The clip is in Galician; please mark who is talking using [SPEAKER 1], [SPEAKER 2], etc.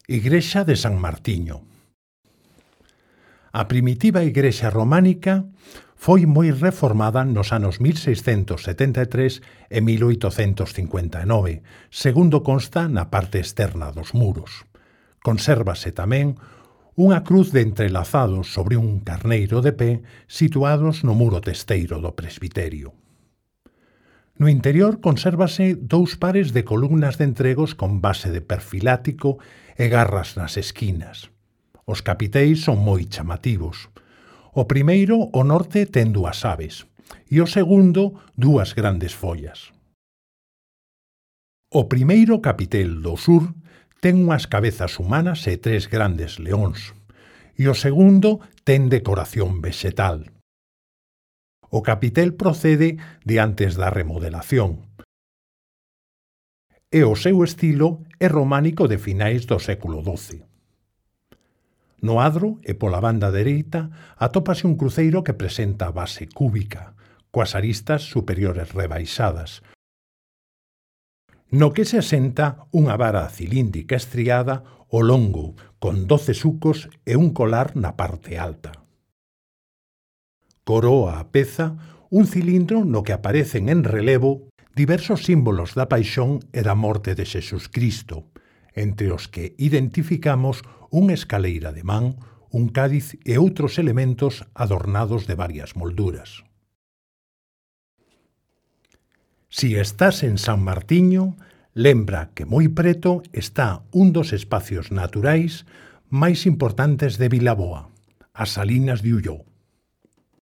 [SPEAKER 1] Igrexa de San Martiño. A primitiva igrexa románica foi moi reformada nos anos 1673 e 1859, segundo consta na parte externa dos muros. Consérvase tamén unha cruz de entrelazados sobre un carneiro de pé situados no muro testeiro do presbiterio. No interior consérvase dous pares de columnas de entregos con base de perfilático e garras nas esquinas. Os capiteis son moi chamativos. O primeiro, o norte, ten dúas aves, e o segundo, dúas grandes follas. O primeiro capitel do sur ten unhas cabezas humanas e tres grandes leóns, e o segundo ten decoración vexetal. O capitel procede de antes da remodelación, e o seu estilo é románico de finais do século XII. No adro e pola banda dereita atópase un cruceiro que presenta a base cúbica, coas aristas superiores rebaixadas, no que se asenta unha vara cilíndrica estriada ao longo, con 12 sucos e un colar na parte alta. Coroa a peza un cilindro no que aparecen en relevo diversos símbolos da paixón e da morte de Xesucristo, entre os que identificamos unha escaleira de man, un cádiz e outros elementos adornados de varias molduras. Si estás en San Martiño, lembra que moi preto está un dos espacios naturais máis importantes de Vilaboa, as Salinas de Ulló.